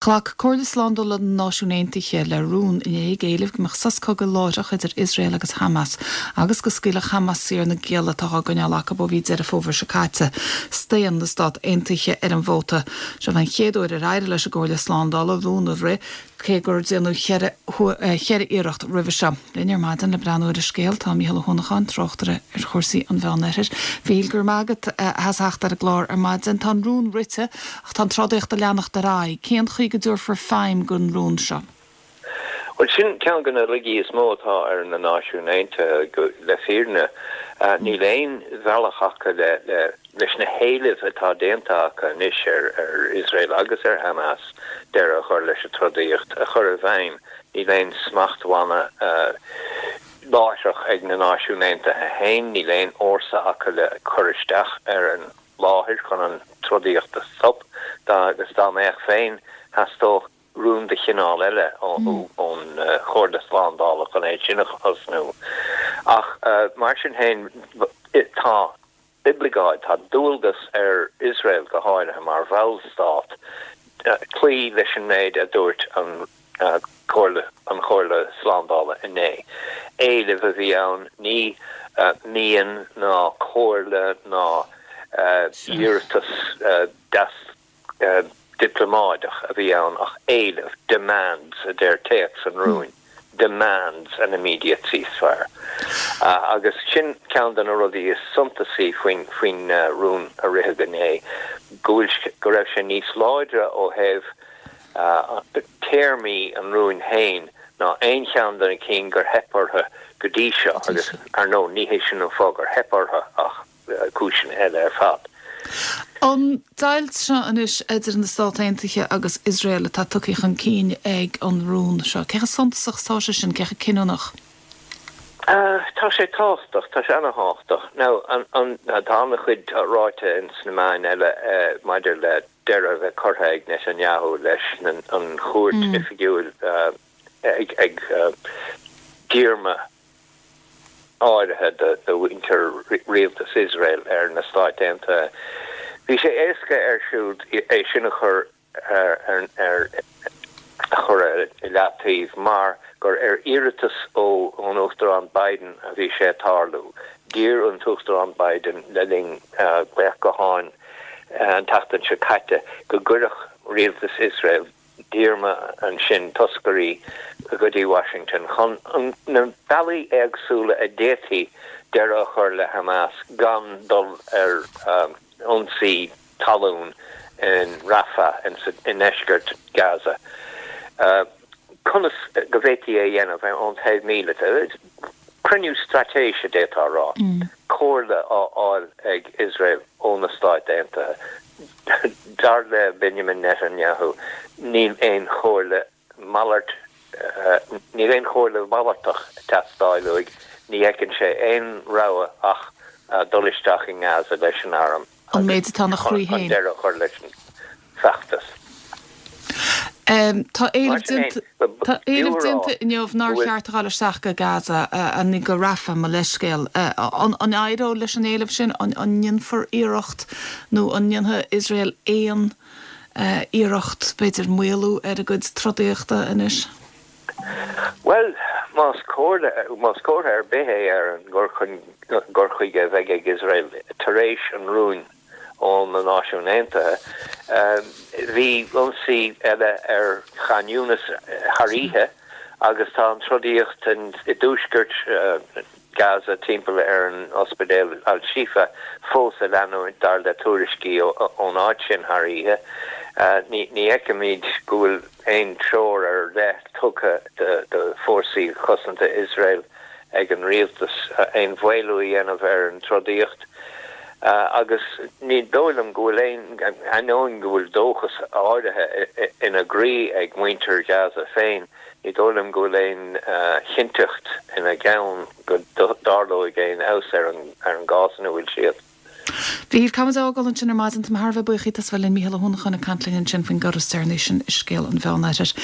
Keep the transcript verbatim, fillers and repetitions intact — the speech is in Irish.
Ghlac Comhairle Slándála na Náisiún Aontaithe le rún inné ag éileamh go mbeadh sos cogaidh láithreach idir Iosrael agus Hamas agus go scaoilfeadh Hamas saor na gialla atá á gcoinneáil acu ó mhí Deireadh Fómhair seo caite. Staon na Stát Aontaithe ar an vóta. Seo an chéad uair ar éirigh leis an gComhairle Slándála rún a rith cé gur déanadh ceithre ceithre iarracht roimhe seo. Linn ar maidin le breathnú ar an scéal tá Mícheál Ó hUanacháin tráchtaire ar chúrsaí an Mheánoirthir. Mhíchíl go raibh maith agat as theacht ar an gclár ar maidin tá an rún rite ach tá an trodaíocht ag leanacht ar aghaidh. Cén chaoi go dtabharfar feidhm don rún seo. Well sin ceann de na laigí is mó atá ar na Náisiúin Aontaithe le fírinne níl aon bhealach acu le le leis na héilimh atá déanta acu anois ar ar Iosrael agus ar Hamas deireadh a chur leis an trodaíocht a chur i bhfeidhm níl aon smachtbhanna láithreach ag na Náisiúin Aontaithe féin níl aon fhórsa acu le cur isteach ar an láthair chun an trodaíocht a stop agus dá mbeadh féin theastódh rún de chineál eile ón Chomhairle Slándála chun é sin a thosnú. Ach mar sin féin tá oibleagáid tá dualgas ar Iosrael go háirithe mar bhallstát cloí leis an méid a dúirt an Chomhairle an Chomhairle Slándála inné. Éileamh a bhí ann ní mian ná comhairle ná iarratas deas dioplómáideach a bhí ann ach éileamh demands a deir téacs an rúin demands an immediate ceasefire. Uh, agus sin ceann de na rudaí is suntasaí faoin faoin uh, rún a ritheadh inné go go raibh sé níos láidre ó thaobh uh, téarmaí an rúin féin ná aon cheann de na cinn gur theip orthu go dtí seo agus ar ndóigh ní hé sin an fáth gur theip orthu ach cúiseanna eile ar fad. An deighilt seo anois idir na Stáit Aontaithe agus Iosrael atá tugtha chun cinn ag an rún seo. Cé chomh suntasach tá sé sin cé chomh cinniúnach? Uh, tá sé tábhachtach tá sé an-tábhachtach. Now an an tá an-chuid ráite in sna meáin eile uh, maidir le deireadh bheith curtha ag Netanyahu leis an, an chuairt mm. oifigiúil uh, ag, ag uh, díorma áirithe de de mhuintir rialtas Iosrael ar na Stáit Aontaithe. Bhí sé éasca air siúd é sin a chur ar ar ar chur i leataobh mar gur ar iarratas ó ón Uachtarán Biden a bhí sé tarlú. D'iarr an tUachtarán Biden le linn glaoch gutháin an tseachtain seo caite go gcuirfeadh rialtas Iosrael díorma ansin toscairí go dtí Washington chun na bealaí éagsúla a d'fhéadfaí deireadh a chur le Hamas gan dul ar um, ionsaí talún in Rafah in, in ndeisceart Gaza. Uh, conas go bhféadfaí é dhéanamh ón taobh míleata. Cruinniú straitéise d'fhéadfá rá. Mm. Comhairle á fháil ag Iosrael ó na Stáit Aontaithe. Dar le Benjamin Netanyahu níl aon chomhairle malairt uh, níl aon chomhairle mhalartach teastáil uaidh ní fheiceann sé aon rogha ach uh, dul isteach in Gaza leis an arm. An méid atá ina chroí féin. Deireadh chur leis an feachtas. Um, tá éileamh déanta inniu nár cheart a ghabháil isteach go Gaza an go Rafah mo leithscéal an an éireoidh leis an éileamh sin an an ndéanfar iarracht nó an ndéanfaidh Iosrael aon uh, iarracht b'fhéidir maolú ar a gcuid trodaíochta anois? Well más más comhartha ar bith é ar an gcur chun chuige a bheidh ag Iosrael tar éis an rúin ó na Náisiúin Aontaithe. Bhí ionsaí eile ar Khan Younis thar oíche agus tá an trodaíocht i dtuaisceart Gaza timpeall ar an ospidéal Al-Shifa fós ag leanúint dar le tuairiscí ón áit sin thar oíche. Ní fheicimid go bhfuil aon treoir ar leith tugtha de fórsaí cosanta Iosrael ag an rialtas aon mhaolú a dhéanamh ar an trodaíocht. Uh, agus ní dóigh liom go bhfuil aon ainneoin go bhfuil dóchas áirithe ina gcroí ag muintir Gaza féin, ní dóigh liom go bhfuil aon uh, chinnteacht ina gceann go dtarlóidh aon fheabhas ar an ar an gcás ina bhfuil siad. Bhí camadágal an sin ar maidin tá thar bheith buíoch as bheith linn Mícheál Ó hUanacháin ag caint linn ansin faoin gcor is deireanaí sin i scéal an Mheánoirthir.